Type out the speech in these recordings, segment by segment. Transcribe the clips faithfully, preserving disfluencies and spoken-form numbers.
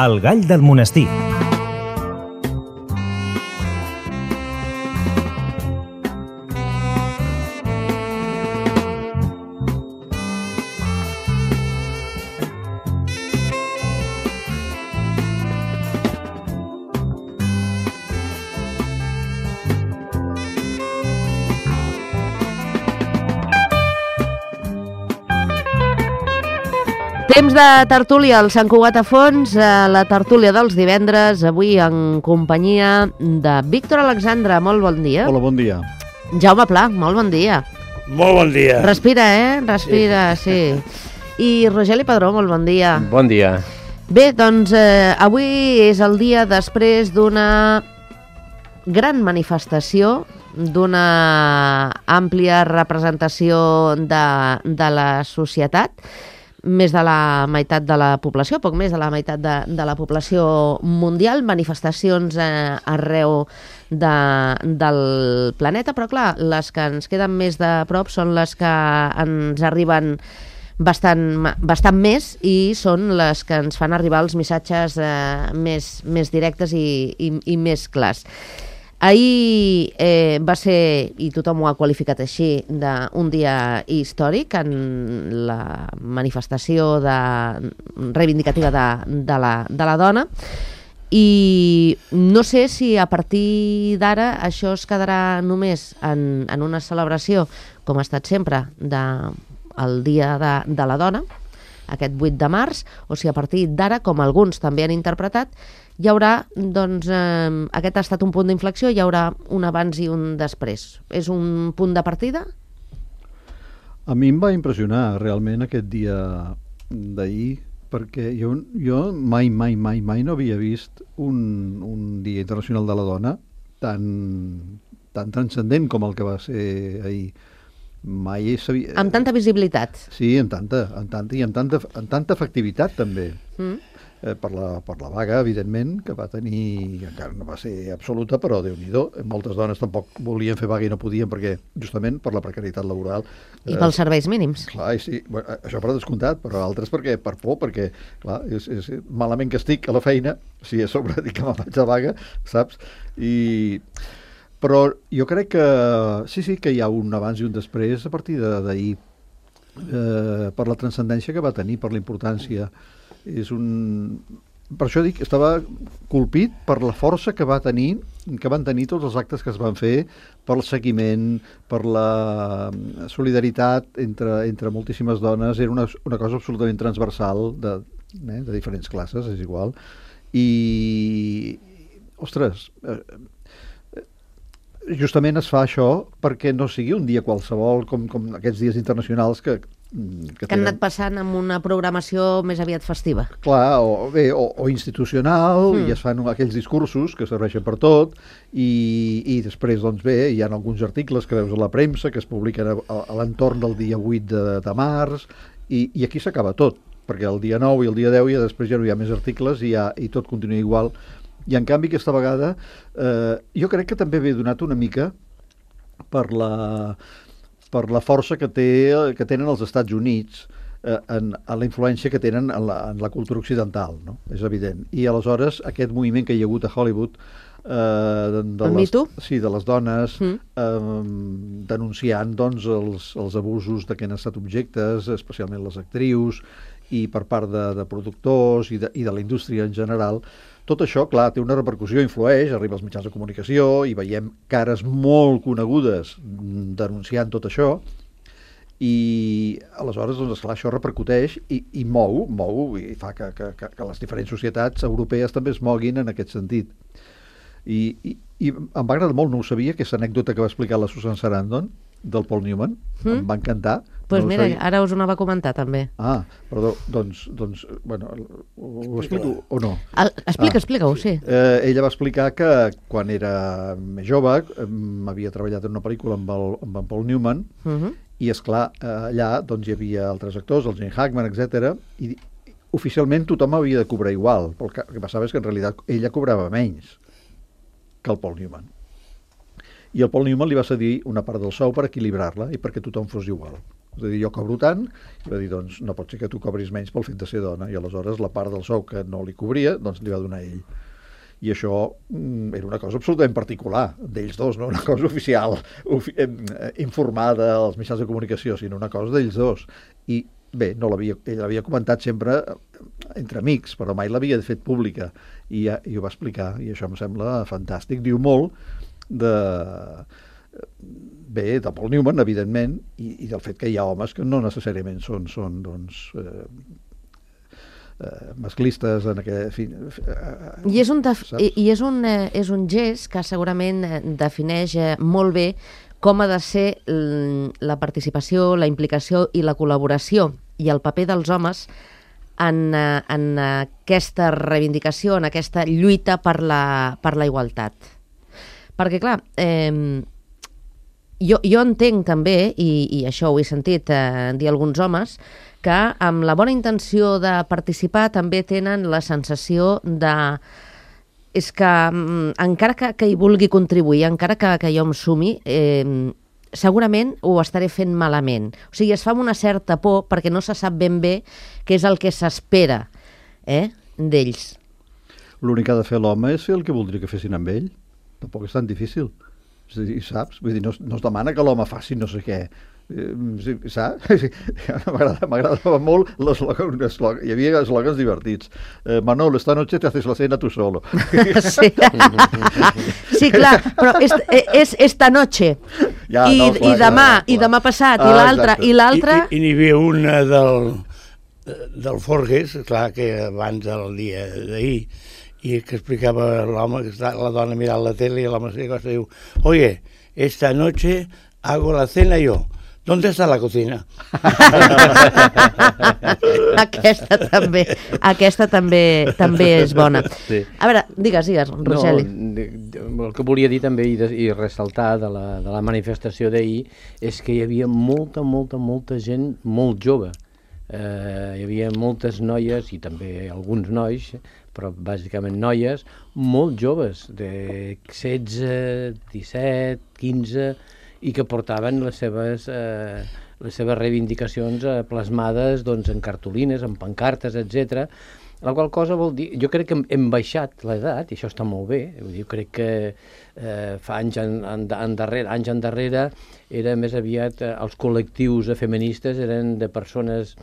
El gall del monestir. Temps de tertúlia al Sant Cugat a Fons, la tertúlia dels divendres, avui en companyia de Víctor Alexandre. Molt bon dia. Hola, bon dia. Jaume Pla, molt bon dia. Molt bon dia. Respira, eh? Respira, sí. sí. I Rogeli Padró, molt bon dia. Bon dia. Bé, doncs eh, avui és el dia després d'una gran manifestació, d'una àmplia representació de, de la societat, més de la meitat de la població, poc més de la meitat de, de la població mundial, manifestacions eh, arreu de, del planeta, però clar, les que ens queden més de prop són les que ens arriben bastant, bastant més i són les que ens fan arribar els missatges eh, més, més directes i, i, i més clars. Ahir eh, va ser, i tothom ho ha qualificat així, d'un dia històric en la manifestació de, reivindicativa de, de, la, de la dona, i no sé si a partir d'ara això es quedarà només en, en una celebració, com ha estat sempre, del Dia de, de la Dona, aquest vuit de març, o si a partir d'ara, com alguns també han interpretat, hi haurà, doncs, eh, aquest ha estat un punt d'inflexió, hi haurà un abans i un després. És un punt de partida? A mi em va impressionar realment aquest dia d'ahir, perquè jo, jo mai, mai, mai, mai no havia vist un, un Dia Internacional de la Dona tan, tan transcendent com el que va ser ahir. Mai sabia... Amb tanta visibilitat. Sí, amb tanta, amb tanta i amb tanta, amb tanta efectivitat també. Mm. Eh, per, la, per la vaga, evidentment, que va tenir, encara no va ser absoluta, però Déu-n'hi-do, moltes dones tampoc volien fer vaga i no podien perquè, justament, per la precarietat laboral. I pels serveis mínims. Clar, sí, bueno, això per descomptat, però altres perquè, per por, perquè, clar, és, és malament que estic a la feina, si a sobre dic que me'n vaig a vaga, saps? I... Però jo crec que sí, sí, que hi ha un abans i un després a partir d'ahir, eh, per la transcendència que va tenir, per la importància. És un... Per això dic, estava colpit per la força que va tenir, que van tenir tots els actes que es van fer, per el seguiment, per la solidaritat entre, entre moltíssimes dones. Era una, una cosa absolutament transversal de, eh, de diferents classes, és igual. I, ostres, eh, justament es fa això perquè no sigui un dia qualsevol com, com aquests dies internacionals que, que, que han anat passant amb una programació més aviat festiva. Clar, o, bé, o, o institucional, mm. i es fan aquells discursos que serveixen per tot, i, i després, doncs bé, hi ha alguns articles que veus a la premsa que es publiquen a, a l'entorn del dia vuit de, de març, i, i aquí s'acaba tot, perquè el dia nou i el dia deu i després ja no hi ha més articles i, ja, i tot continua igual. I en canvi aquesta vegada eh, jo crec que també ve donat una mica per la, per la força que, té, que tenen els Estats Units eh, en, en la influència que tenen en la, en la cultura occidental, no? És evident. I aleshores aquest moviment que hi ha hagut a Hollywood eh, de, de, les, sí, de les dones mm. eh, denunciant doncs, els, els abusos de què han estat objectes, especialment les actrius, i per part de, de productors i de, i de la indústria en general. Tot això, clar, té una repercussió, influeix, arriba als mitjans de comunicació i veiem cares molt conegudes denunciant tot això i aleshores, doncs, esclar, això repercuteix i, i mou, mou i fa que, que, que les diferents societats europees també es moguin en aquest sentit. I, i, i em va agradar molt, no ho sabia, aquesta anècdota que va explicar la Susan Sarandon del Paul Newman, mm. em va encantar. Doncs pues no mira, ara us ho anava a comentar també. Ah, perdó, doncs, doncs bueno, ho, ho explico o no? El, explica, ah, explica-ho, sí. Eh, ella va explicar que quan era més jove eh, havia treballat en una pel·lícula amb, el, amb en Paul Newman uh -huh. i, esclar, eh, allà doncs, hi havia altres actors, el Gene Hackman, etcètera, i oficialment tothom havia de cobrar igual, però el que passava és que en realitat ella cobrava menys que el Paul Newman. I el Paul Newman li va cedir una part del sou per equilibrar-la i perquè tothom fos igual. És a dir, jo cobro tant, i va dir, doncs no pot ser que tu cobris menys pel fet de ser dona, i aleshores la part del sou que no li cobria, doncs li va donar ell. I això mm, era una cosa absolutament particular d'ells dos, no una cosa oficial, ofi eh, informada als mitjans de comunicació, sinó una cosa d'ells dos. I bé, no l'havia, ell l'havia comentat sempre entre amics, però mai l'havia fet pública, i, i ho va explicar, i això em sembla fantàstic. Diu molt de... bé, de Paul Newman, evidentment, i, i del fet que hi ha homes que no necessàriament són, són doncs, eh, eh, masclistes en aquest... Fi, eh, I és un, def i, i és un, eh, és un gest que segurament defineix eh, molt bé com ha de ser la participació, la implicació i la col·laboració i el paper dels homes en, en aquesta reivindicació, en aquesta lluita per la, per la igualtat. Perquè, clar, eh, jo, jo entenc també, i, i això ho he sentit eh, dir alguns homes, que amb la bona intenció de participar també tenen la sensació de... és que mm, encara que, que hi vulgui contribuir, encara que, que jo em sumi, eh, segurament ho estaré fent malament. O sigui, es fa amb una certa por perquè no se sap ben bé què és el que s'espera eh, d'ells. L'únic que ha de fer l'home és fer el que voldria que fessin amb ell. Tampoc és tan difícil. És a dir, saps? Vull dir, no, no es demana que l'home faci no sé què. Sí, saps? M'agradava molt l'eslògan. Hi havia eslògans divertits. Eh, Manolo, esta noche te haces la cena tu solo. Sí, sí clar, però és, és esta noche. Ja, I, no, clar, i demà, clar, clar. i demà passat, ah, i l'altre, i l'altre... I, i n'hi havia una del, del Forges, clar, que abans del dia d'ahir, i que explicava l'home, que està la dona mirant la tele, i l'home se diu, oye, esta noche hago la cena yo. ¿Dónde está la cocina? aquesta també, aquesta també, també és bona. Sí. A veure, digues, digues, Rogeli. No, el que volia dir també i, de, i ressaltar de la, de la manifestació d'ahir és que hi havia molta, molta, molta gent molt jove. Eh, hi havia moltes noies i també alguns nois, però bàsicament noies, molt joves, de setze, disset, quinze... i que portaven les seves, eh, les seves reivindicacions eh, plasmades doncs, en cartolines, en pancartes, etcètera. La qual cosa vol dir... Jo crec que hem, hem baixat l'edat, i això està molt bé. Jo crec que eh, fa anys en, en, en darrere, anys endarrere era més aviat... Eh, els col·lectius feministes eren de persones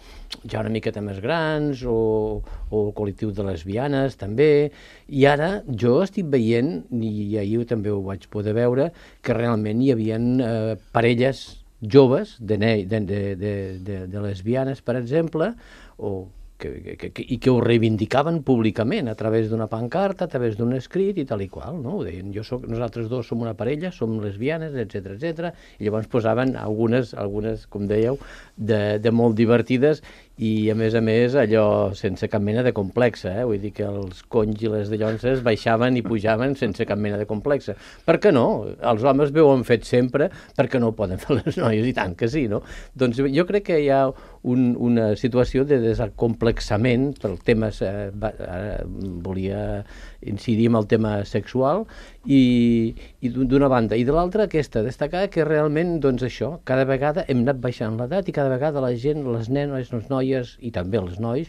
ja una miqueta més grans, o, o el col·lectiu de lesbianes, també. I ara jo estic veient, i ahir també ho vaig poder veure, que realment hi havia eh, parelles joves de, de, de, de, de, de lesbianes, per exemple, o Que, que, que, i que ho reivindicaven públicament a través d'una pancarta, a través d'un escrit i tal i qual, no? Ho deien, jo soc, nosaltres dos som una parella, som lesbianes, etcètera, etcètera, i llavors posaven algunes, algunes com dèieu, de, de molt divertides i, a més a més, allò sense cap mena de complexa, eh? Vull dir que els conys i les dallonses baixaven i pujaven sense cap mena de complexa. Per què no? Els homes ho han fet sempre, per què no ho poden fer les noies? I tant que sí, no? Doncs jo crec que hi ha un, una situació de desacomplexament pel tema, eh, ara volia incidir en el tema sexual, i, i d'una banda. I de l'altra, aquesta, destacar que realment, doncs això, cada vegada hem anat baixant l'edat i cada vegada la gent, les nenes, les noies i també els nois,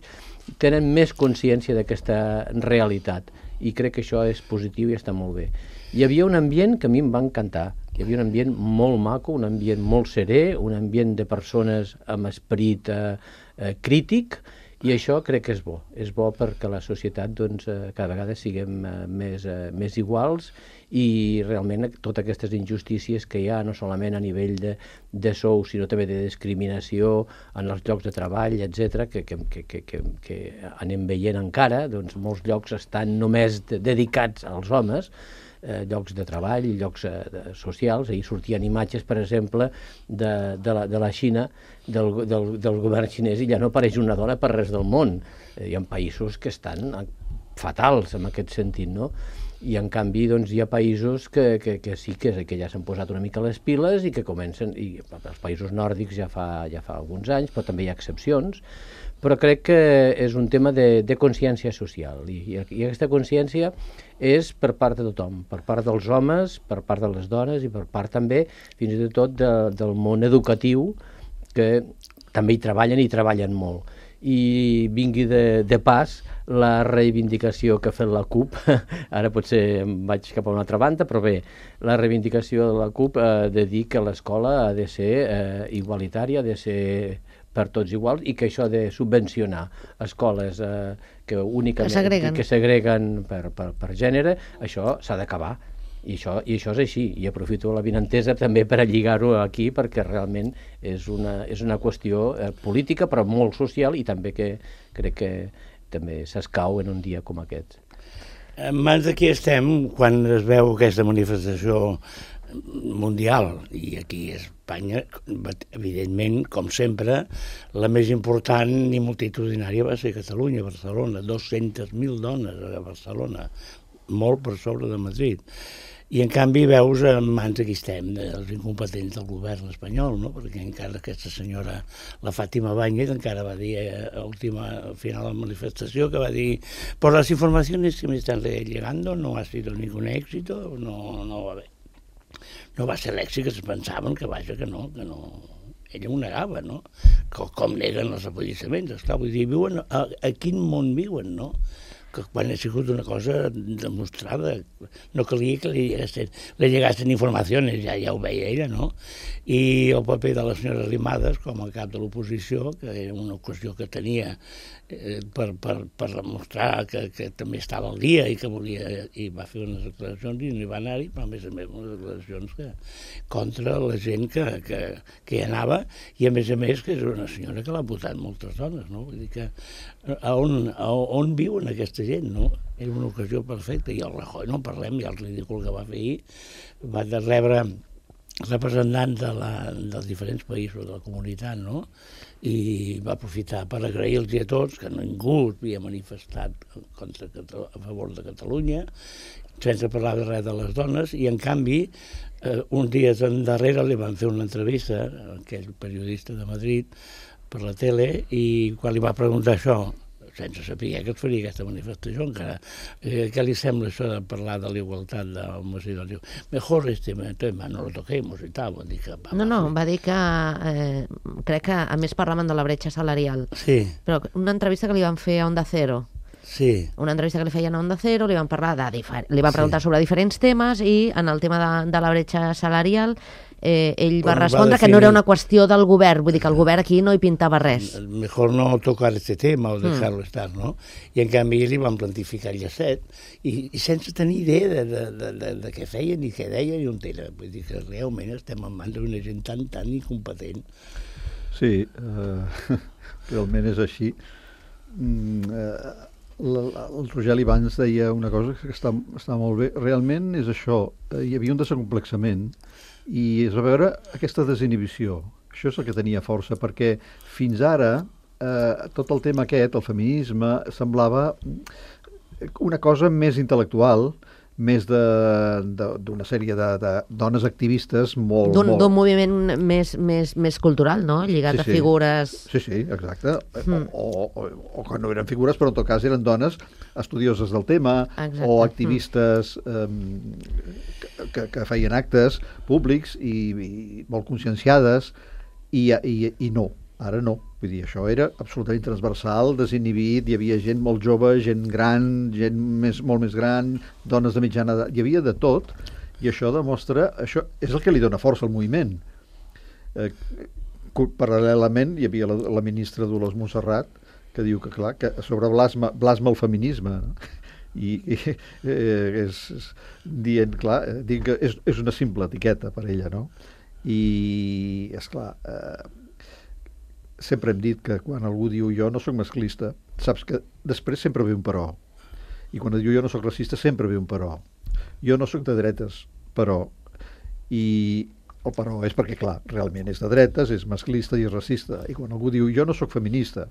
tenen més consciència d'aquesta realitat. I crec que això és positiu i està molt bé. Hi havia un ambient que a mi em va encantar. Hi havia un ambient molt maco, un ambient molt serè, un ambient de persones amb esperit eh, eh, crític, i això crec que és bo. És bo perquè la societat doncs, eh, cada vegada siguem eh, més, eh, més iguals, i realment totes aquestes injustícies que hi ha, no solament a nivell de, de sou, sinó també de discriminació en els llocs de treball, etcètera, que, que, que, que, que, que anem veient encara, doncs molts llocs estan només de, dedicats als homes, eh, llocs de treball, llocs eh, de, socials. Ahir sortien imatges, per exemple, de, de, la, de la Xina, del, del, del govern xinès, i ja no apareix una dona per res del món. Eh, hi ha països que estan fatals en aquest sentit, no? I en canvi doncs, hi ha països que, que, que sí que, que ja s'han posat una mica les piles i que comencen, i els països nòrdics ja fa, ja fa alguns anys, però també hi ha excepcions, però crec que és un tema de, de consciència social, i, i aquesta consciència és per part de tothom, per part dels homes, per part de les dones i per part també fins i tot de, del món educatiu, que també hi treballen i treballen molt. I vingui de, de pas la reivindicació que ha fet la CUP, ara potser em vaig cap a una altra banda, però bé, la reivindicació de la CUP eh, de dir que l'escola ha de ser eh, igualitària, ha de ser per tots iguals, i que això de subvencionar escoles eh, que únicament que segreguen, que segreguen per, per, per gènere, això s'ha d'acabar. I això, I això és així, i aprofito la vinentesa també per a lligar-ho aquí, perquè realment és una, és una qüestió eh, política, però molt social, i també que crec que també s'escau en un dia com aquest. En mans d'aquí estem quan es veu aquesta manifestació mundial, i aquí a Espanya, evidentment, com sempre, la més important i multitudinària va ser Catalunya, Barcelona, dos-centes mil dones a Barcelona, molt per sobre de Madrid. I en canvi veus en mans aquí estem, els incompetents del govern espanyol, no? Perquè encara aquesta senyora, la Fàtima Báñez, encara va dir a última, al final de la manifestació, que va dir por las informaciones que me están llegando no ha sido ningún éxito, no, no va bé. No va ser l'èxit que es pensaven, que vaja, que no, que no... Ella ho negava, no? Com, com neguen els apallissaments, esclar, vull dir, viuen, a, a quin món viuen, no? Que quan ha sigut una cosa demostrada, no calia que li llegassin, li llegassin informacions, ja, ja ho veia ella, no? I el paper de la senyora Arrimadas com a cap de l'oposició, que era una qüestió que tenia eh, per, per, per demostrar que, que també estava al dia i que volia, i va fer unes declaracions i no hi va anar-hi, però a més a més unes declaracions que, contra la gent que, que, que hi anava, i a més a més que és una senyora que l'ha votat moltes dones, no? Vull dir que a on, a on viuen aquesta gent, no? Era una ocasió perfecta, i el Rajoy, no parlem, i el ridícul que va fer ahir, va de rebre representants de la, dels diferents països de la comunitat, no? I va aprofitar per agrair-los a tots que ningú havia manifestat contra, a favor de Catalunya, sense parlar de res de les dones, i en canvi, eh, uns dies endarrere li van fer una entrevista a aquell periodista de Madrid per la tele, i quan li va preguntar això, sense saber que es faria aquesta manifestació encara. Eh, què li sembla això de parlar de la igualtat d'homes i dones? Mejor este tema no lo toquemos i tal. Dir que, va, no, no, va dir que eh, crec que a més parlaven de la bretxa salarial. Sí. Però una entrevista que li van fer a Onda Cero. Sí. Una entrevista que li feien a Onda Cero, li van parlar de difer... li van preguntar sí. sobre diferents temes, i en el tema de, de la bretxa salarial eh, ell va Bueno, respondre va que no era una qüestió del govern, vull dir que el govern aquí no hi pintava res. Mejor no tocar este tema o dejarlo mm. estar, no? I en canvi li van plantificar el llacet, i, i sense tenir idea de, de, de, de, de què feien i què deien i on era. Vull dir que realment estem en mans d'una gent tan, tan incompetent. Sí, uh, realment és així. Mm, uh, el Rogeli abans deia una cosa que està, està molt bé. Realment és això, hi havia un desacomplexament i es va veure aquesta desinhibició. Això és el que tenia força, perquè fins ara eh, tot el tema aquest, el feminisme, semblava una cosa més intel·lectual, més d'una sèrie de, de dones activistes molt... D'un molt... moviment més, més, més cultural, no? Lligat sí, a sí. figures... Sí, sí, exacte. Mm. O, o, o que no eren figures, però en tot cas eren dones estudioses del tema, exacte. O activistes mm. eh, que, que feien actes públics i, i molt conscienciades, i, i, i no, ara no. Vull dir, això era absolutament transversal, desinhibit, hi havia gent molt jove, gent gran, gent més, molt més gran, dones de mitjana edat, hi havia de tot, i això demostra, això és el que li dona força al moviment. Eh, paral·lelament hi havia la, la ministra Dolors Montserrat, que diu que, clar, que sobre blasma, blasma el feminisme, no? I, i eh, és, és dient, clar, dient que és, és una simple etiqueta per ella, no? I, esclar, eh, sempre hem dit que quan algú diu jo no soc masclista, saps que després sempre ve un però. I quan diu jo no soc racista sempre ve un però. Jo no soc de dretes, però. I el però és perquè, clar, realment és de dretes, és masclista i és racista. I quan algú diu jo no soc feminista,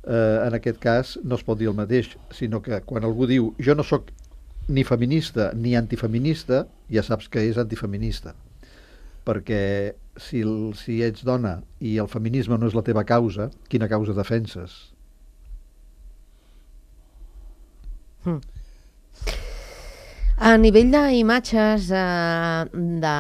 eh, en aquest cas no es pot dir el mateix, sinó que quan algú diu jo no soc ni feminista ni antifeminista, ja saps que és antifeminista. Perquè si, el, si ets dona i el feminisme no és la teva causa, quina causa defenses? Mm. A nivell d'imatges, eh, de...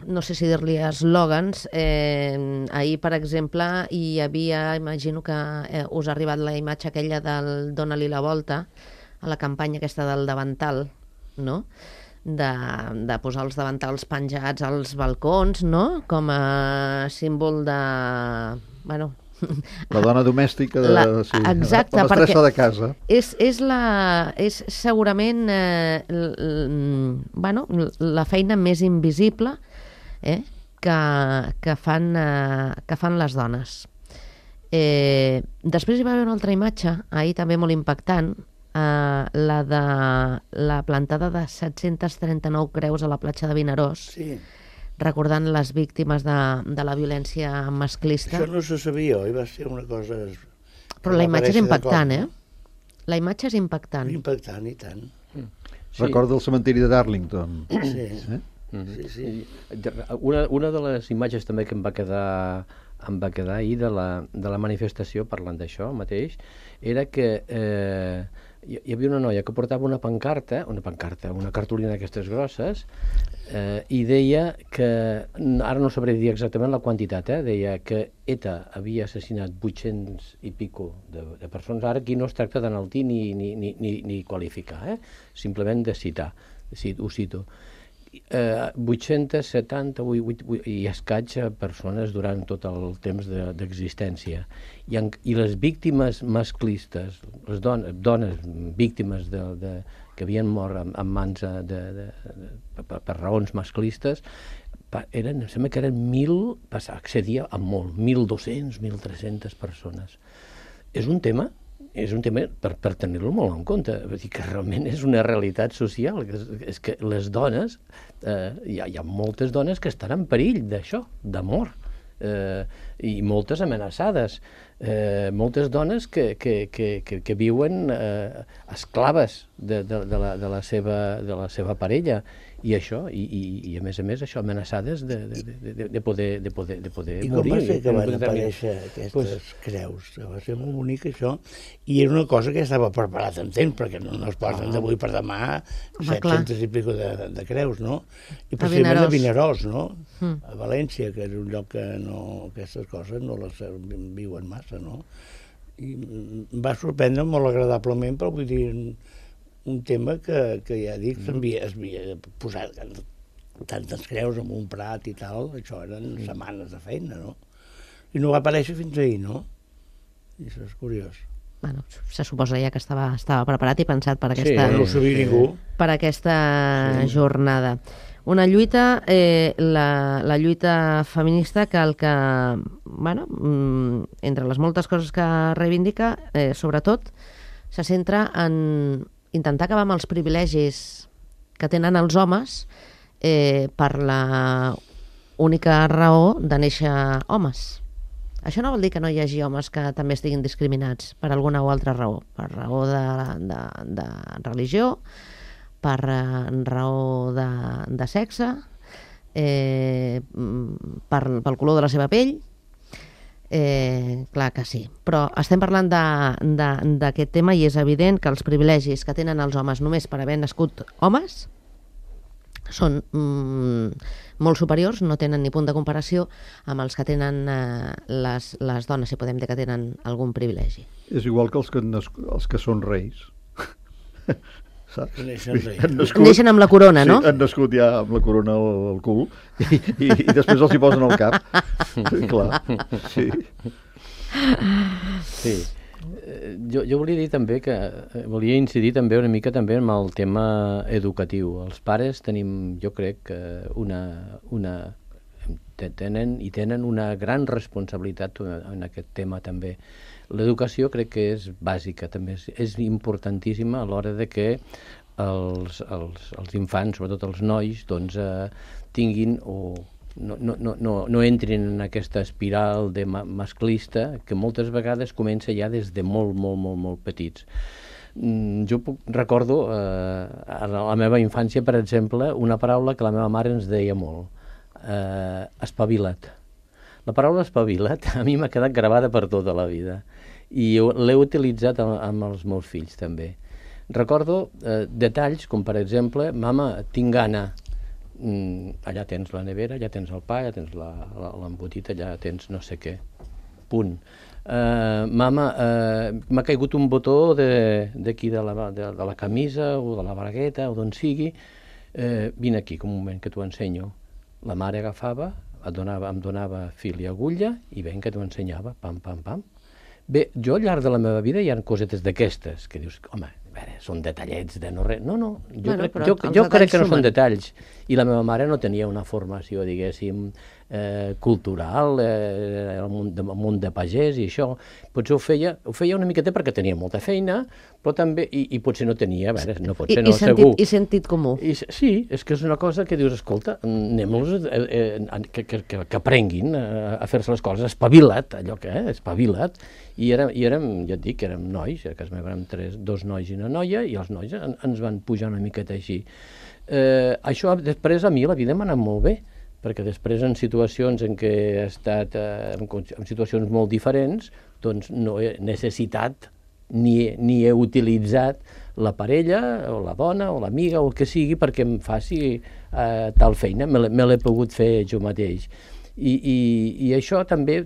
no sé si dir-li eslògans. Eh, ahir, per exemple, hi havia, imagino que eh, us ha arribat la imatge aquella del Dóna-li la volta, a la campanya aquesta del davantal, no?, de, de posar els davantals penjats als balcons, no?, com a símbol de... Bueno, la dona domèstica de, la, sí, exacte, la mestressa de casa. És, és, la, és segurament eh, l, l, bueno, la feina més invisible eh, que, que, fan, eh, que fan les dones. Eh, després hi va haver una altra imatge, ahir també molt impactant, eh, la de la plantada de set-cents trenta-nou creus a la platja de Vinaròs, Sí. recordant les víctimes de, de la violència masclista. Això no se sabia, oi? Va ser una cosa... Però la imatge és impactant, eh? eh? La imatge és impactant. Impactant, i tant. Sí. Recorda el cementiri de Darlington. Sí, Eh? sí, sí. Una, una de les imatges també que em va quedar, em va quedar ahir de la, de la manifestació, parlant d'això mateix, era que eh, hi, hi havia una noia que portava una pancarta, una pancarta, una cartolina d'aquestes grosses, eh, i deia que, ara no sabré dir exactament la quantitat, eh, deia que ETA havia assassinat vuit-cents i pico de, de persones. Ara aquí no es tracta d'enaltir ni, ni, ni, ni, ni qualificar, eh? Simplement de citar, ho cito. Eh, vuit-cents setanta i escaig persones durant tot el temps d'existència. I, en, I les víctimes masclistes, les dones, dones víctimes de, de, que havien mort en, en mans de, de, de, per, per raons masclistes, eren, em sembla que eren mil, accedia a molt, mil dos-cents, mil tres-centes persones. És un tema és un tema per, per tenir-lo molt en compte, vull dir que realment és una realitat social, que és, és que les dones, eh, hi, ha, hi ha moltes dones que estan en perill d'això, de mort, eh, i moltes amenaçades, eh, moltes dones que, que, que, que, que viuen eh, esclaves de, de, de, la, de, la seva, de la seva parella, i això, i, i, i a més a més això, amenaçades de, de, de, de, poder, de, poder, de poder I morir. I com va ser que van determin... aparèixer aquestes pues... creus? Va ser molt bonic això, i era una cosa que ja estava preparat en temps, perquè no, no es posen d'avui per demà set-cents i pico de, de creus, no? I precisament a Vinaròs, no? Mm. A València, que és un lloc que no, aquestes coses no les viuen massa, no? I em va sorprendre molt agradablement, però vull dir, un tema que, que ja dic, s'havia posat tantes creus en un prat i tal, això eren setmanes de feina, no? I no va aparèixer fins ahir, no? I això és curiós. Bueno, se suposa ja que estava, estava preparat i pensat per aquesta, sí, no ho sabia ningú. Per aquesta sí. jornada. Una lluita, eh, la, la lluita feminista que el que, bueno, entre les moltes coses que reivindica, eh, sobretot, se centra en intentar acabar amb els privilegis que tenen els homes eh, per la única raó de néixer homes. Això no vol dir que no hi hagi homes que també estiguin discriminats per alguna o altra raó, per raó de, de, de religió, per raó de, de sexe, eh, per, pel color de la seva pell. Eh, clar que sí, però estem parlant d'aquest tema i és evident que els privilegis que tenen els homes només per haver nascut homes són mm, molt superiors, no tenen ni punt de comparació amb els que tenen eh, les, les dones, si podem dir que tenen algun privilegi. És igual que els que, els que són reis. Saps? Neixen, nascut, Neixen amb la corona, sí, no? Han nascut ja amb la corona al, al cul i, i, i després els hi posen al cap. Clar, sí. Sí. Jo, jo volia dir també que volia incidir també una mica també en el tema educatiu. Els pares tenim, jo crec, una, una tenen i tenen una gran responsabilitat en aquest tema també. L'educació crec que és bàsica, també és, és importantíssima a l'hora de que els, els, els infants, sobretot els nois, doncs, eh, tinguin o no, no, no, no, no entrin en aquesta espiral de ma masclista que moltes vegades comença ja des de molt, molt, molt, molt petits. Mm, jo puc, recordo eh, a la meva infància, per exemple, una paraula que la meva mare ens deia molt, eh, espavila't. La paraula espavila't a mi m'ha quedat gravada per tota la vida i l'he utilitzat amb, amb els meus fills també. Recordo eh, detalls com, per exemple, mama, tinc gana, mm, allà tens la nevera, allà tens el pa, allà tens l'embotit, allà tens no sé què. Punt. Uh, mama, uh, m'ha caigut un botó d'aquí de, de, la, de, de la camisa o de la bragueta o d'on sigui, uh, vine aquí, que un moment que t'ho ensenyo. La mare agafava, et donava, em donava fil i agulla i ben que t'ho ensenyava, pam, pam, pam. Bé, jo al llarg de la meva vida hi ha cosetes d'aquestes, que dius, home, a veure, són detallets de no res. No, no, jo bueno, crec, jo, jo crec que no són detalls. I la meva mare no tenia una formació, diguéssim, eh, cultural, eh, el món de, el món de pagès i això. Potser ho feia, ho feia una miqueta perquè tenia molta feina, però també, i, i potser no tenia, a veure, no pot ser, I, no, i sentit, segur. I sentit comú. I, sí, és que és una cosa que dius, escolta, anem-los eh, eh, que, que, que, que aprenguin a, a fer-se les coses, espavilat, allò que, eh, espavilat. I érem, i érem, ja et dic, érem nois, a casa meva érem tres, dos nois i una noia, i els nois en, ens van pujar una miqueta així. Eh, això després a mi la vida m'ha anat molt bé, perquè després en situacions en què he estat, eh, en, en situacions molt diferents, doncs no he necessitat ni, ni he utilitzat la parella, o la dona, o l'amiga, o el que sigui, perquè em faci eh, tal feina, me l'he pogut fer jo mateix. I, i, i això també,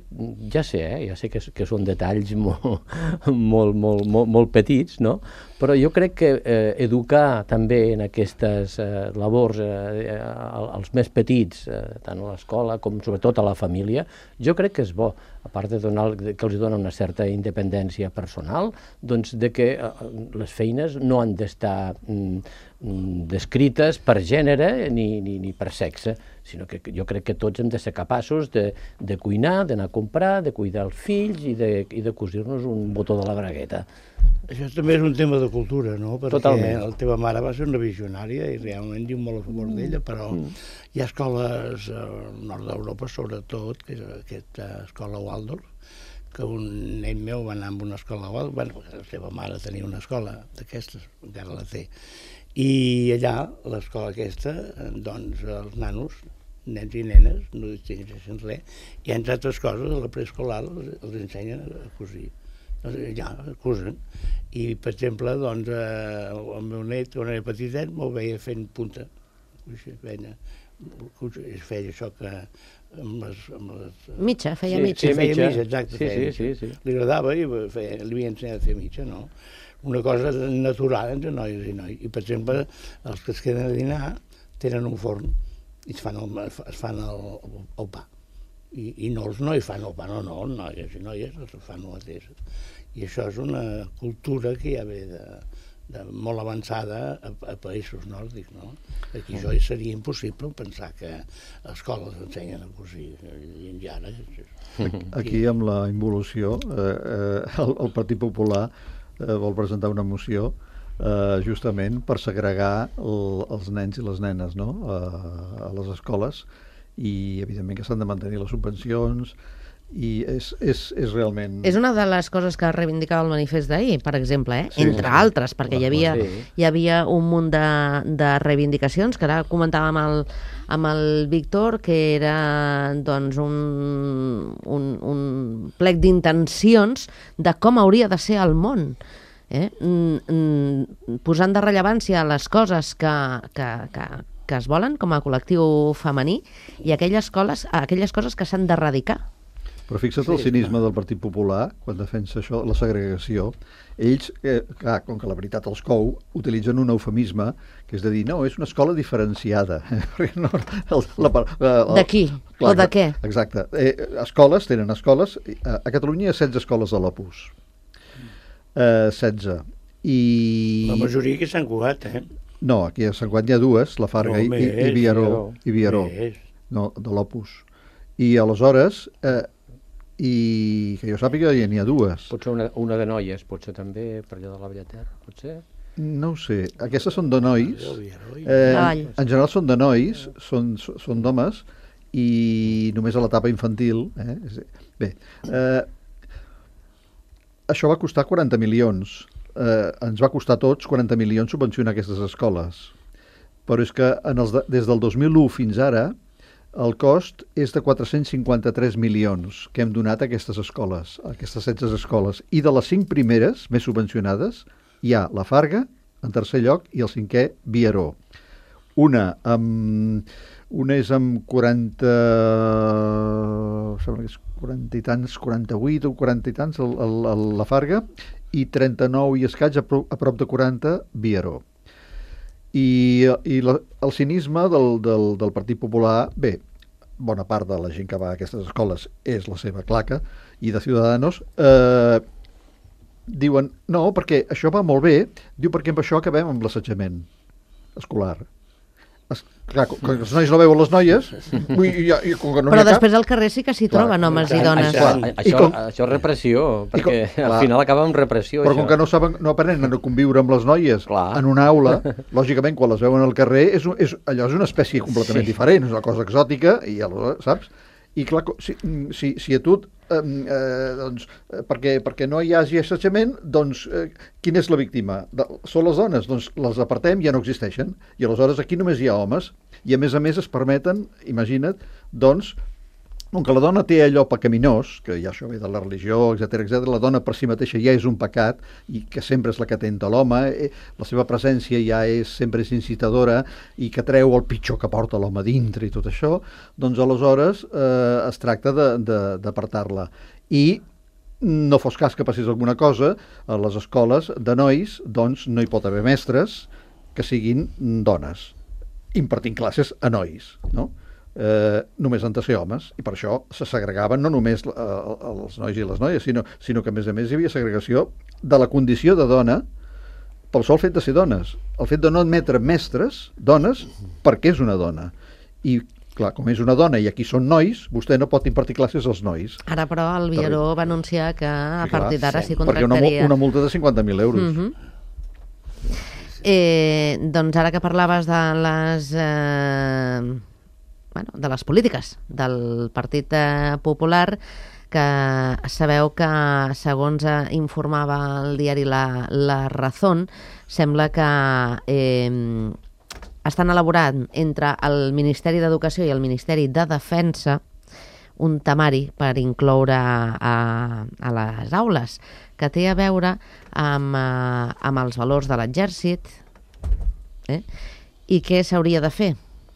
ja sé, eh, ja sé que, que són detalls molt, molt, molt, molt, molt petits, no? Però jo crec que eh, educar també en aquestes eh, labors eh, als més petits, eh, tant a l'escola com sobretot a la família, jo crec que és bo, a part de donar, que els dona una certa independència personal, doncs de que eh, les feines no han d'estar mm, descrites per gènere ni, ni, ni per sexe, sinó que jo crec que tots hem de ser capaços de, de cuinar, d'anar a comprar, de cuidar els fills i de, i de cosir-nos un botó de la bragueta. Això també és un tema de cultura, no? Perquè Totalment. la teva mare va ser una visionària i realment diu molt a favor mm. d'ella, però mm. hi ha escoles al nord d'Europa, sobretot, que és aquesta escola Waldorf, que un nen meu va anar a una escola Waldorf, bueno, la seva mare tenia una escola d'aquestes, encara la té, i allà, l'escola aquesta, doncs els nanos, nens i nenes, no distingeixen res, i entre altres coses, a la preescolar els, els ensenyen a cosir. Ja, cosen. I, per exemple, doncs, eh, el meu net, quan era petitet, m'ho veia fent punta. Feia, feia això que... Amb les, amb les... Mitja, feia sí, mitja. Sí, feia mitja, mitja, exacte. Sí, feia sí, mitja. sí, sí. Li agradava i feia, li havia ensenyat a fer mitja, no? Una cosa natural entre noies i nois. I, per exemple, els que es queden a dinar tenen un forn i es fan el, es fan el, el pa. I, i no els nois fan el pa, no, no, noies i noies els fan el mateix. I això és una cultura que ja ve de, de molt avançada a, a països nòrdics, no? Aquí això seria impossible pensar que a escoles ensenyen a cosir, i ara... Aquí, amb la involució, eh, eh, el, el Partit Popular eh, vol presentar una moció eh, justament per segregar el, els nens i les nenes, no? a, a les escoles, i evidentment que s'han de mantenir les subvencions, i és, és, és realment... És una de les coses que reivindicava el manifest d'ahir, per exemple, eh? Sí, entre sí. altres, perquè hi havia, Sí. hi havia un munt de, de reivindicacions, que ara comentàvem amb el, amb el Víctor, que era doncs, un, un, un plec d'intencions de com hauria de ser el món. Eh? Mm, mm, posant de rellevància les coses que, que, que, que es volen com a col·lectiu femení i aquelles, coles, aquelles coses que s'han d'erradicar. Però fixa't el cinisme del Partit Popular, quan defensa això, la segregació. Ells, eh, clar, com que la veritat els cou, utilitzen un eufemisme, que és de dir, no, és una escola diferenciada. no, el, la, la, De qui? Clar, O de què? Exacte. Eh, escoles, tenen escoles. A, a Catalunya hi ha setze escoles de l'Opus. Eh, setze. I... La majoria que s'han cugat, eh? No, aquí a Sant Cugat hi ha dues, la Farga No, i, més, i, i Viaró. I Viaró. Més. No, de l'Opus. I aleshores... Eh, i que jo sàpiga ja n'hi ha dues. Potser una, una de noies, potser també per allà de la Bellaterra, potser? No ho sé, aquestes són de nois, Eh, eh, en general són de nois, són, són d'homes, i només a l'etapa infantil. Eh? Bé, eh, això va costar quaranta milions, eh, ens va costar a tots quaranta milions subvencionar aquestes escoles, però és que en els de, des del dos mil u fins ara el cost és de quatre-cents cinquanta-tres milions que hem donat a aquestes escoles, a aquestes setze escoles. I de les cinc primeres, més subvencionades, hi ha la Farga, en tercer lloc, i el cinquè, Viaró. Una amb... Una és amb quaranta... Sembla que és quaranta i tants, quaranta-vuit o quaranta i tants el, el, el, la Farga, i trenta-nou i escaig a, pro, a prop de quaranta Vieró. I, i la, el cinisme del, del, del Partit Popular, bé, bona part de la gent que va a aquestes escoles és la seva claca, i de Ciudadanos, eh, diuen, no, perquè això va molt bé, diu perquè amb això acabem amb l'assetjament escolar. Es, clar, com que els nois no veuen les noies, i, i, i, com que no però n'hi ha després cap, al carrer sí que s'hi troben homes i dones. Això, això, com, això és repressió, perquè com, al clar, final acaba amb repressió. però això. com que no saben, no aprenen a conviure amb les noies Clar. en una aula, lògicament quan les veuen al carrer és, un- és, allò és una espècie completament Sí. diferent, és una cosa exòtica i aleshores, saps? I clar, co- si, si, si a tu eh, eh, doncs, eh, perquè, perquè no hi hagi assetjament, doncs eh, quina és la víctima? De, són les dones, doncs les apartem, ja no existeixen, i aleshores aquí només hi ha homes, i a més a més es permeten, imagina't, doncs, com que la dona té allò pecaminós, que ja això ve de la religió, etcètera, etcètera, la dona per si mateixa ja és un pecat i que sempre és la que atenta a l'home, eh, la seva presència ja és sempre és incitadora i que treu el pitjor que porta l'home dintre i tot això, doncs aleshores eh, es tracta de- de- d'apartar-la. I no fos cas que passés alguna cosa, a les escoles de nois doncs no hi pot haver mestres que siguin dones, impartint classes a nois, no? Eh, només han de ser homes, i per això se segregaven no només eh, els nois i les noies, sinó, sinó que a més a més hi havia segregació de la condició de dona pel sol fet de ser dones, el fet de no admetre mestres, dones, perquè és una dona. I clar, com és una dona i aquí són nois, vostè no pot impartir classes als nois. Ara, però, el Vieró va anunciar que a Sí, clar, partir d'ara s'hi perquè una, mu- contractaria. una multa de cinquanta mil euros. Mhm. Eh, doncs ara que parlaves de les eh, bueno, de les polítiques del Partit eh, Popular, que sabeu que, segons eh, informava el diari La, La Razón, sembla que eh, estan elaborant entre el Ministeri d'Educació i el Ministeri de Defensa un temari per incloure a, a les aules, que té a veure amb, eh, amb els valors de l'exèrcit, eh? I què s'hauria de fer,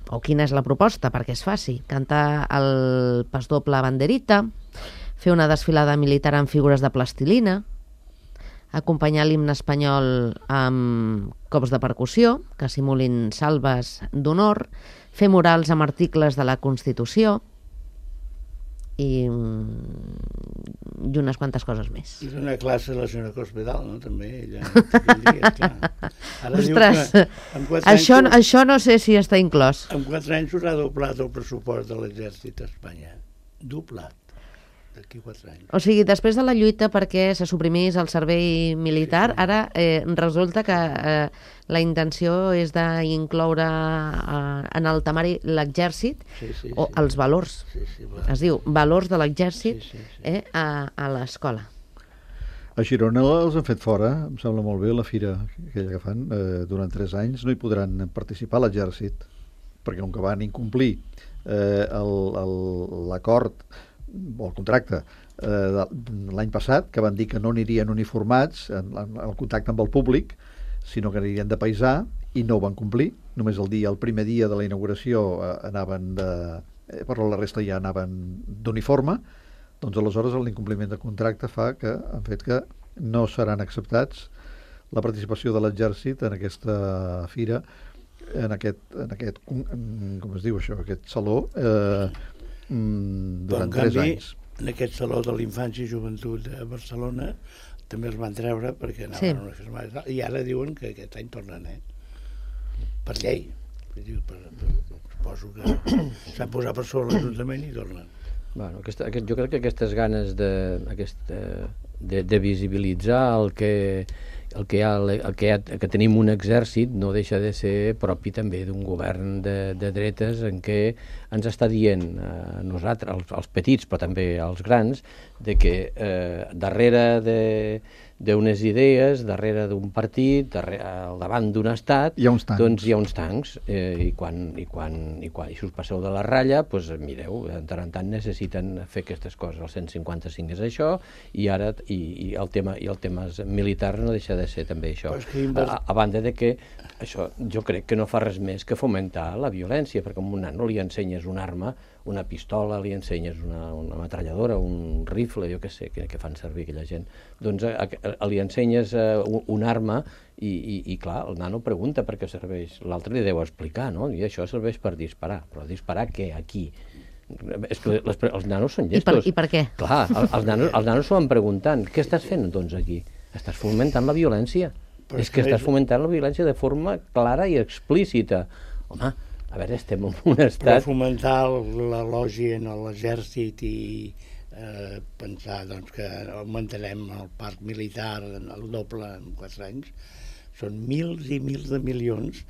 o quina és la proposta perquè es faci. Cantar el pas doble banderita, fer una desfilada militar amb figures de plastilina, acompanyar l'himne espanyol amb cops de percussió, que simulin salves d'honor, fer murals amb articles de la Constitució, i, i unes quantes coses més. I donar classe a la senyora Cospedal, no? També, ella. Dia, clar. Ara diu Ostres, que amb quatre això, anys, això no sé si està inclòs. amb quatre anys s'haurà doblat el pressupost de l'exèrcit a Espanya. Doblat. D'aquí quatre anys. O sigui, després de la lluita perquè se suprimís el servei militar, Sí, sí. ara eh, resulta que eh, la intenció és d'incloure eh, en el temari l'exèrcit Sí, sí, o sí. els valors. Sí, sí, va. Es diu valors de l'exèrcit Sí, sí, sí. eh, a, a l'escola. A Girona els han fet fora, em sembla molt bé, la fira aquella que fan, eh, durant tres anys no hi podran participar a l'exèrcit, perquè com que van incomplir eh, el- el- l'acord o el contracte eh, de- l'any passat, que van dir que no anirien uniformats en, en el contacte amb el públic, sinó que anirien de paisà, i no ho van complir. Només el dia, el primer dia de la inauguració eh, anaven de... Eh, però la resta ja anaven d'uniforme. Doncs aleshores l'incompliment de contracte fa que han fet que no seran acceptats la participació de l'exèrcit en aquesta fira, en aquest, en aquest com es diu això, aquest saló, eh, mm, Però, en durant tres canvi, anys. en aquest Saló de l'Infància i Joventut de Barcelona també els van treure perquè anaven Sí. a una firmada i tal, i ara diuen que aquest any tornen, eh? Per llei. Vull dir, Per, per, suposo que s'han posat per sobre l'Ajuntament i tornen. Bueno, aquesta, aquest, jo crec que aquestes ganes de, aquesta, de, de visibilitzar el que, el que, hi ha, el que, hi ha, que tenim un exèrcit no deixa de ser propi també d'un govern de, de dretes en què ens està dient a nosaltres, als, als petits però també als grans, de que eh, darrere de, d'unes idees, darrere d'un partit, darrere, al davant d'un estat, hi ha uns tancs. doncs hi ha uns tancs, eh, i, quan, i, quan, i quan i si us passeu de la ratlla, doncs mireu, de tant en tant necessiten fer aquestes coses. El cent cinquanta-cinc és això, i ara i, i el tema i el tema militar no deixa de ser també això. A, a banda de que això jo crec que no fa res més que fomentar la violència, perquè a un nano li ensenyes una arma, una pistola, li ensenyes una, una metralladora, un rifle, jo què sé, que, que fan servir aquella gent. Doncs a, a, li ensenyes uh, una arma i, i, i clar, el nano pregunta per què serveix. L'altre li deu explicar, no? I això serveix per disparar. Però disparar què? Aquí? És que les, els nanos són llestos. I per, i per què? Clar, el, els nanos, els nanos s'ho van preguntant. Què estàs fent, doncs, aquí? Estàs fomentant la violència. Però és que estàs fomentant la violència de forma clara i explícita. Home, a veure, estem en un estat... Però fomentar l'elogi en l'exèrcit i eh, pensar doncs, que augmentarem el parc militar el doble en quatre anys, són mils i mils de milions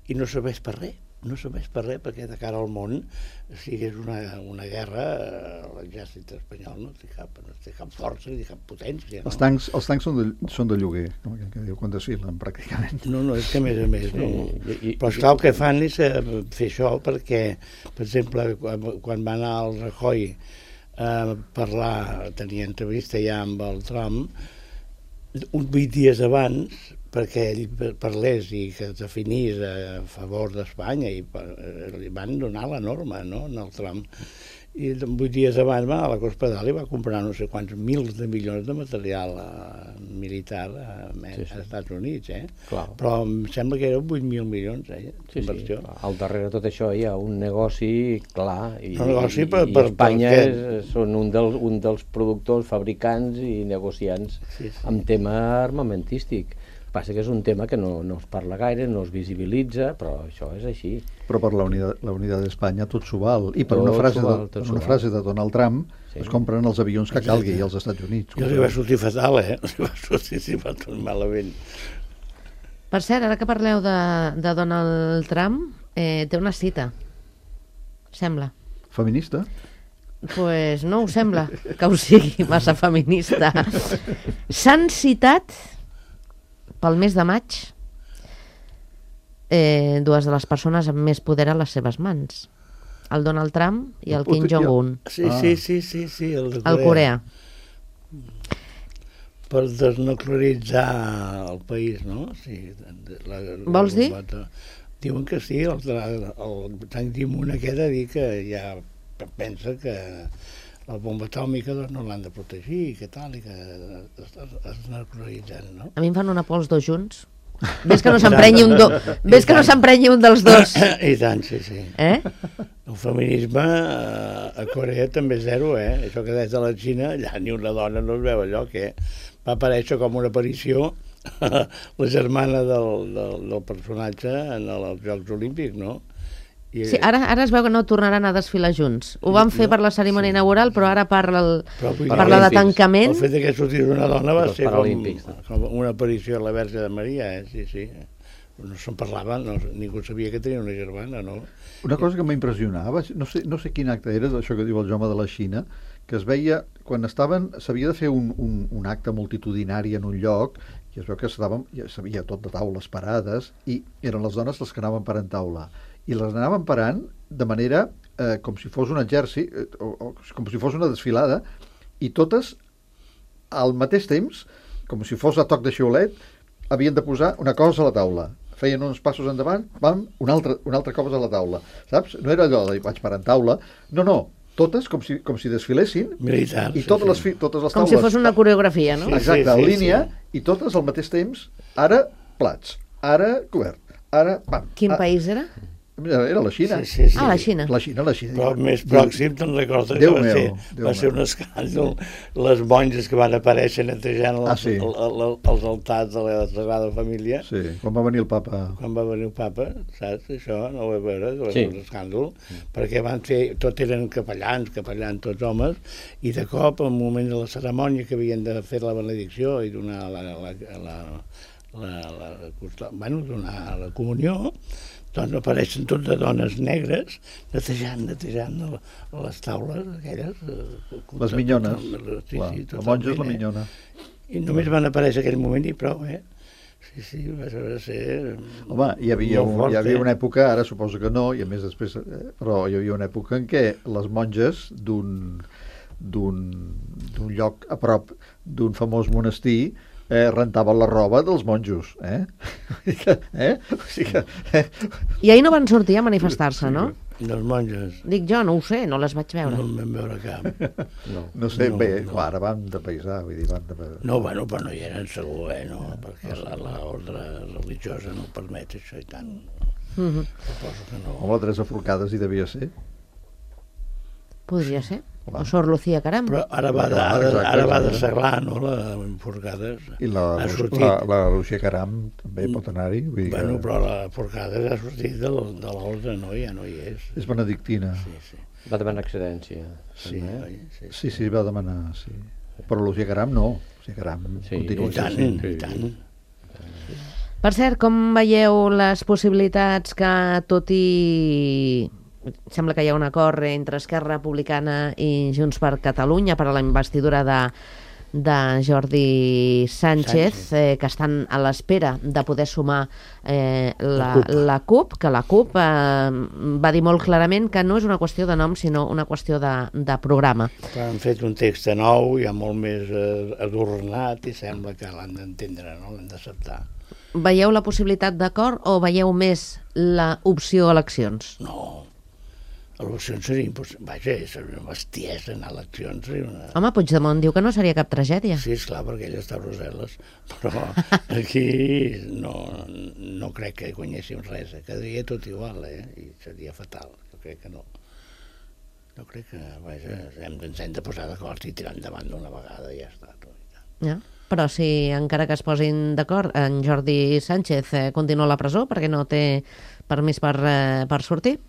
i no serveix per res. No serveix per res perquè de cara al món, si és una, una guerra, l'exèrcit espanyol no té cap, no té cap força ni cap potència. No? Els tancs, els tancs són, de, són de lloguer, com que, que diu, quan desfilen, pràcticament. No, no, és que a més a més, Sí, no. i- i- Però esclar, el que fan és eh, fer això perquè, per exemple, quan, quan va anar al Rajoy a parlar, tenia entrevista ja amb el Trump, uns vuit dies abans, perquè ell parlés i que es definís a favor d'Espanya i per, li van donar la norma, no?, en el Trump. I vuit dies abans va a la Cospedal i va comprar no sé quants mils de milions de material eh, militar a, sí, sí. als Estats Units, eh? Clar. Però em sembla que eren vuit mil milions, eh? Sí, sí. Inversió. Al darrere de tot això hi ha un negoci clar i, Un negoci i, per- i per- Espanya per és, són un, del, un dels productors, fabricants i negociants Sí, sí. amb tema armamentístic. Passa que és un tema que no, no es parla gaire, no es visibilitza, però això és així. Però per la unitat, la unitat d'Espanya tot s'ho val. I per Tot una, frase, s'ho val, de, tot per s'ho una val. frase de Donald Trump Sí. es compren els avions que calgui als Estats Units. I els hi va sortir fatal, eh? Els hi va sortir sí, va tot malament. Per cert, ara que parleu de, de Donald Trump, eh, té una cita, sembla. Feminista? Pues no ho sembla que ho sigui massa feminista. S'han citat pel mes de maig eh, dues de les persones amb més poder a les seves mans, el Donald Trump i el Kim Jong-un, Sí, Ah. sí, sí, sí, sí, el de al Corea. Per desnuclearitzar el país, no? Sí, la, la, Vols dir? La, diuen que sí, el, el, el Tang Ki-moon aquest ha dit que ja pensa que la bomba atòmica doncs, no l'han de protegir, i que tal, i que es, es, es desnuclearitzen, no? A mi em fan una por els dos junts. Ves que no s'emprenyi un, do... Ves que no s'emprenyi un dels dos. I tant, sí, sí. Eh? El feminisme eh, a Corea també és zero, eh? Això que des de la Xina, allà ni una dona no es veu allò, que va aparèixer com una aparició la germana del, del, del personatge en els Jocs Olímpics, no? I, Sí, ara, ara es veu que no tornaran a desfilar junts. Ho van fer No, per la cerimònia inaugural, però ara parla, el, Però vull dir, parla de Paralímpics. tancament. el fet de que sortís una dona va I els ser com, Paralímpics. com una aparició a la Verge de Maria, eh? Sí, sí. No se'n parlava, no, ningú sabia que tenia una germana, no? Una cosa que m'impressionava, no sé, no sé quin acte era, això que diu el Jaume de la Xina, que es veia, quan estaven, s'havia de fer un, un, un acte multitudinari en un lloc, i es veu que estàvem, ja s'havia tot de taules parades, i eren les dones les que anaven parant taula. I les anaven parant de manera eh, com si fos un exèrcit, eh, o, o com si fos una desfilada, i totes, al mateix temps, com si fos a toc de xiulet, havien de posar una cosa a la taula. Feien uns passos endavant, pam, un altre, un altre cop a la taula. Saps? No era allò de vaig parar en taula. No, no, totes com si, com si desfilessin Militar. i sí, totes, sí. les, fi- totes les Com taules... si fos una coreografia, no? Sí. Exacte, en sí, línia, sí. i totes al mateix temps, ara plats, ara cobert, ara... Pam, Quin ah, país era? Era la Xina. Sí, sí, sí. Ah, la Xina. La Xina, la Xina. Però més pròxim, te'n recordes que Déu va meu, ser, Déu va ser meu. un escàndol, les monges que van aparèixer netejant els, Ah, sí. el, el, els altars de la Sagrada Família, Sí, quan va venir el papa... quan va venir el papa, saps? Això no ho vaig veure, va Sí. ser un escàndol, perquè van fer, tot eren capellans, capellans tots homes, i de cop, al moment de la cerimònia que havien de fer la benedicció i donar la, la, la, la, la, la, bueno, donar la comunió, doncs apareixen tots de dones negres netejant, netejant les taules aquelles. eh, Les minyones. Sí, Clar, sí, la monja és la totalment, eh? minyona. I només van aparèixer aquell moment i prou, eh? Sí, sí, va ser... Home, hi havia, un, fort, hi havia una època, ara suposo que no, i a més després, eh, però hi havia una època en què les monges d'un d'un lloc a prop d'un famós monestir eh, rentaven la roba dels monjos, eh? eh? O sigui que, eh? I ahir no van sortir a manifestar-se, no? Les monges. Dic jo, no ho sé, no les vaig veure. No en vam veure cap. No, no sé, no, bé, no. clar, ara van de paisà, vull dir, van de... No, bueno, però no hi eren segur, eh, no? Perquè l'ordre religiosa no permet això i tant. Mm-hmm. Suposo que no. Home, la Teresa Forcades hi devia ser. Podria ser. O Sor Lucía Caram. Però ara va de, ara, ara va de seglar, no?, la Forcades. I la, la, la Lucía Caram també pot anar-hi. Bueno, que... però la Forcades ha sortit de l'ordre, no? Ja no hi és. És benedictina. Sí, sí. Va demanar excedència. Sí, eh? oi? Sí, sí, sí, va demanar, sí. Però Lucía Caram no. Lucía Caram sí, continua. I tant, sí, sí. i tant. Per cert, com veieu les possibilitats que, tot i... sembla que hi ha un acord entre Esquerra Republicana i Junts per Catalunya per a la investidura de, de Jordi Sánchez, Sánchez. Eh, que estan a l'espera de poder sumar eh, la, la CUP, que la CUP eh, va dir molt clarament que no és una qüestió de nom, sinó una qüestió de, de programa. Però han fet un text nou, ja molt més eh, adornat, i sembla que l'han d'entendre, no? L'han d'acceptar. Veieu la possibilitat d'acord o veieu més l'opció eleccions? No. Eleccions seria impossible. Vaja, seria una bestiesa anar a eleccions. Una... Home, Puigdemont diu que no seria cap tragèdia. Sí, esclar, perquè ell està a Brussel·les. Però aquí no, no crec que guanyéssim res. Quedaria tot igual, eh? I seria fatal. Jo crec que no. Jo crec que, vaja, hem, ens hem de posar d'acord i tirar endavant d'una vegada i ja està. Tot. Ja. Però si encara que es posin d'acord, en Jordi Sánchez eh, continua a la presó perquè no té permís per, eh, per sortir?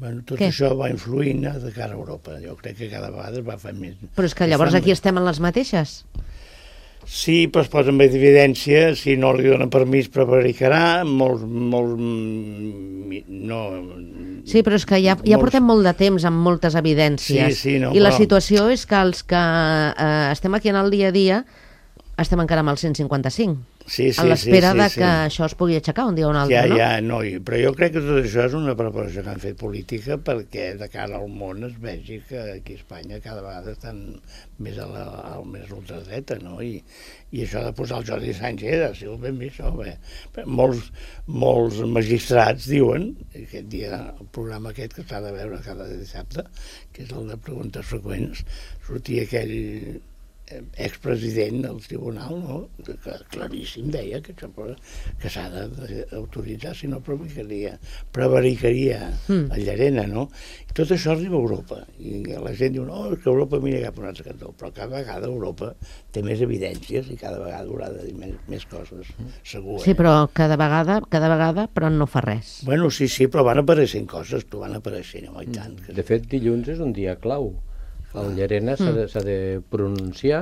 Bueno, tot Què? això va influint de cara a Europa. Jo crec que cada vegada es va fer més... Però és que llavors aquí estem en les mateixes. Sí, però es posa en evidència, si no li donen permís prevaricarà, molts... molts no... Sí, però és que ja, ja portem molt de temps amb moltes evidències. Sí, sí, no, I la però... situació és que els que eh, estem aquí en el dia a dia estem encara amb el cent cinquanta-cinc. Sí, sí, a l'espera sí, sí, de sí. que això es pugui aixecar un dia o un altre, ja, no? Ja, no, però jo crec que tot això és una preparació que han fet política perquè de cara al món es vegi que aquí a Espanya cada vegada estan més a la, al més ultradreta, no? I, i això de posar el Jordi Sánchez ha sigut ben bé això, bé. Molts, molts magistrats diuen, aquest dia, el programa aquest que s'ha de veure cada dissabte, que és el de preguntes freqüents, sortia aquell expresident del tribunal, no? Que claríssim deia que, que s'ha d'autoritzar, si no prevaricaria, prevaricaria mm. a Llarena, no? I tot això arriba a Europa, i la gent diu, no, és que Europa mira cap a un altre cantó, però cada vegada Europa té més evidències i cada vegada haurà de dir més, més coses, segur. Sí, però cada vegada, cada vegada, però no fa res. Bueno, sí, sí, però van apareixent coses, tu van apareixent, home, i tant. Que... De fet, dilluns és un dia clau. El Llarena s'ha de, de pronunciar,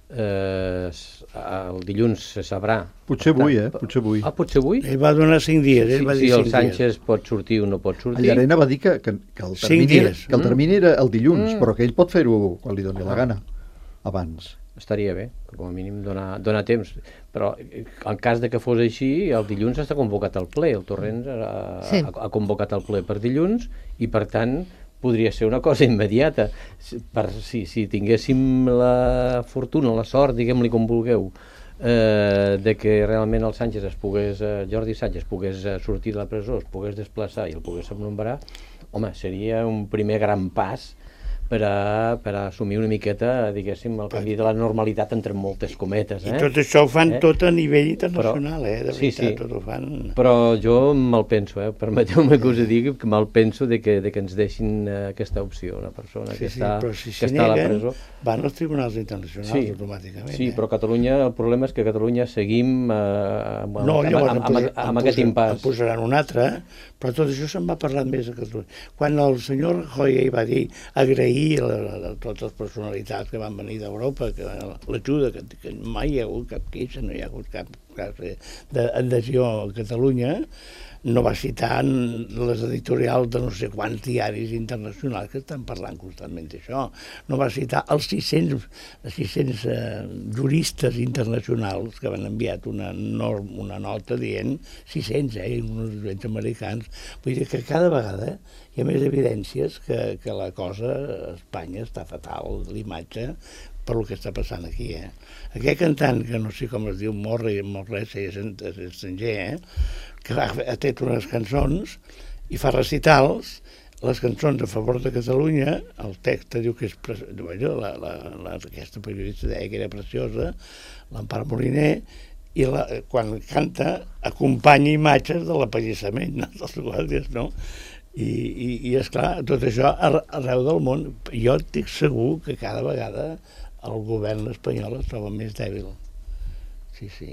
eh, el dilluns se sabrà. Potser avui, eh? Potser avui. Ah, potser avui? Ell va donar cinc dies, ell si, va dir si el cinc Sánchez dies. pot sortir o no pot sortir. El Llarena va dir que, que, que, el, termini era, que el termini era el dilluns, mm. però que ell pot fer-ho quan li doni la gana, abans. Estaria bé, com a mínim donar, donar temps, però en cas de que fos així, el dilluns està convocat al ple, el Torrents ha, sí. ha, ha convocat el ple per dilluns i per tant podria ser una cosa immediata. Per, si, si tinguéssim la fortuna, la sort, diguem-li com vulgueu, eh, de que realment el Sánchez es pogués, eh, Jordi Sánchez pogués eh, sortir de la presó, es pogués desplaçar i el pogués nombrar, home, seria un primer gran pas per a, per a assumir una miqueta, diguéssim, el canvi de la normalitat entre moltes cometes. Eh? I tot això ho fan eh? tot a nivell internacional, però, eh? De sí, veritat, sí. tot ho fan... Però jo me'l penso, eh? Permeteu-me que us digui que me'l penso de que, de que ens deixin eh, aquesta opció, una persona sí, que, sí, està, però si que està a la presó. Van als tribunals internacionals sí, automàticament. Sí, eh? però Catalunya, el problema és que a Catalunya seguim eh, amb, no, amb, llavors, amb, amb, amb, amb aquest impàs. En posaran un altre, però tot això se'n va parlar més a Catalunya. Quan el senyor Rajoy hi va dir agrair la, la, totes les personalitats que van venir d'Europa, que l'ajuda, que, que mai hi ha hagut cap queixa, no hi ha hagut cap cas d'adhesió a Catalunya, no va citar les editorials de no sé quants diaris internacionals que estan parlant constantment d'això. No va citar els sis-cents, sis-cents eh, juristes internacionals que van enviat una, norm, una nota dient sis-cents, eh, uns juristes americans. Vull dir que cada vegada hi ha més evidències que, que la cosa a Espanya està fatal, l'imatge, per el que està passant aquí, eh? Aquest cantant, que no sé com es diu, Morri, Morresi, és, és estranger, eh? Que ha, ha tret unes cançons i fa recitals, les cançons a favor de Catalunya, el text diu que és... Bueno, la, la, la, aquesta periodista deia que era preciosa, l'Empar Moliner, i la, quan canta acompanya imatges de l'apallissament, no? Dels guàrdies, no? I, i, i esclar, tot això arreu del món. Jo estic segur que cada vegada el govern espanyol es troba més dèbil. Sí, sí,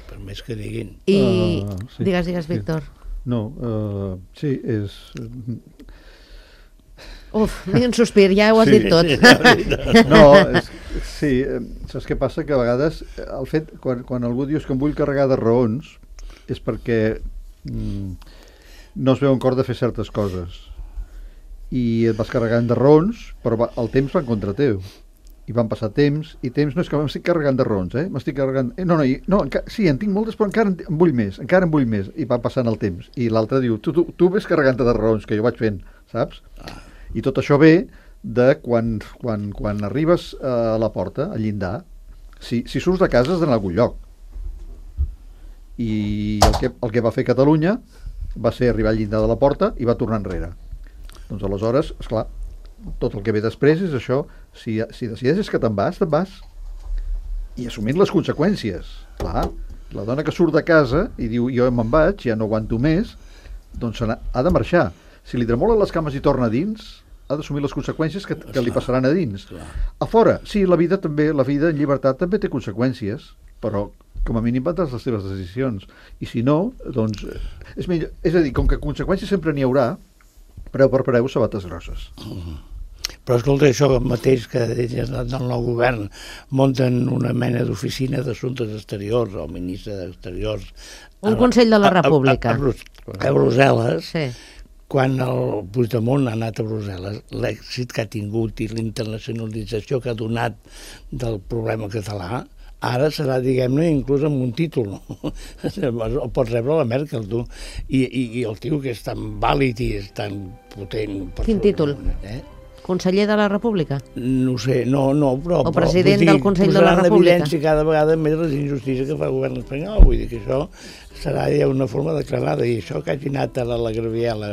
per més que diguin. I uh, sí, digues, digues, sí. Víctor. No, uh, sí, és... Uf, ni un sospir, ja ho has sí, dit tot. Sí, no, és, sí, saps què passa? Que a vegades el fet, quan, quan algú dius que em vull carregar de raons, és perquè mm, no es veu en cor de fer certes coses. I et vas carregant de raons, però va, el temps va en contra teu. I van passar temps, i temps no és que m'estic carregant de raons, eh? M'estic carregant... Eh, no, no, i, no enca... sí, en tinc moltes, però encara en, en vull més, encara en vull més. I va passant el temps. I l'altre diu, tu, tu, tu ves carregant-te de raons, que jo vaig fent, saps? I tot això ve de quan, quan, quan arribes a la porta, al llindar, si, si surts de casa has d'anar a algun lloc. I el que, el que va fer Catalunya va ser arribar al llindar de la porta i va tornar enrere. Doncs aleshores, esclar, tot el que ve després és això, si, si decideixes que te'n vas, te'n vas. I assumint les conseqüències. Clar, la dona que surt de casa i diu jo me'n vaig, ja no aguanto més, doncs ha de marxar. Si li tremolen les cames i torna a dins, ha d'assumir les conseqüències que, que li passaran a dins. A fora, sí, la vida també, la vida en llibertat també té conseqüències, però com a mínim prendràs les teves decisions. I si no, doncs, és millor. És a dir, com que conseqüències sempre n'hi haurà, preu per preu, sabates grosses. Mm-hmm. Però escolta, això mateix que elles del nou govern munten una mena d'oficina d'assumptes exteriors, o ministre d'exteriors... Un Consell de la República. A, a, a, a Brussel·les, sí. Quan el Puigdemont ha anat a Brussel·les, l'èxit que ha tingut i la internacionalització que ha donat del problema català, ara serà, diguem-ne, inclús amb un títol. El pots rebre a la Merkel, tu. I, i, i el tio que és tan vàlid i és tan potent... Quin títol? Eh? Conseller de la República? No sé, no, no, però... O president però, dir, del Consell de la República? Posaran en evidència cada vegada més les injustícies que fa el govern espanyol. Vull dir que això serà ja una forma declarada. I això que hagi anat a la, la Graviela,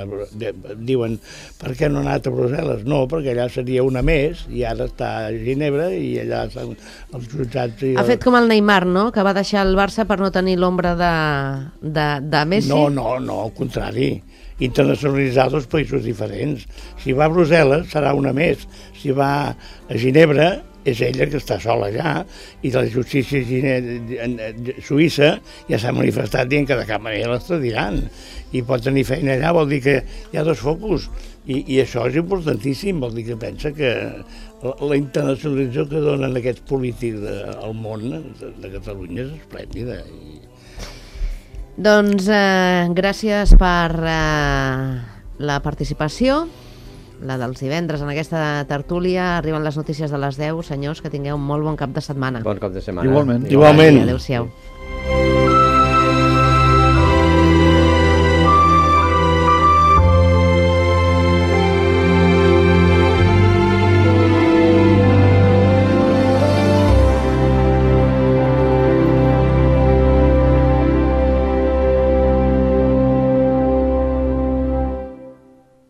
diuen, per què no ha anat a Brussel·les? No, perquè allà seria una més, i ara està a Ginebra, i allà estan els jutjats... I el... Ha fet com el Neymar, no?, que va deixar el Barça per no tenir l'ombra de, de, de Messi. No, no, no, al contrari. Internacionalitzar dos països diferents. Si va a Brussel·les serà una més. Si va a Ginebra és ella que està sola allà, i la justícia suïssa ja s'ha manifestat dient que de cap manera l'extradiran, i pot tenir feina allà, vol dir que hi ha dos focus, i, i això és importantíssim, vol dir que pensa que la, la internacionalització que donen aquests polítics de, al món de, de Catalunya és esplèndida. I... Doncs eh, gràcies per eh, la participació, la dels divendres en aquesta tertúlia. Arriben les notícies de les deu. Senyors, que tingueu un molt bon cap de setmana. Bon cap de setmana. Igualment. Igualment. Adéu-siau.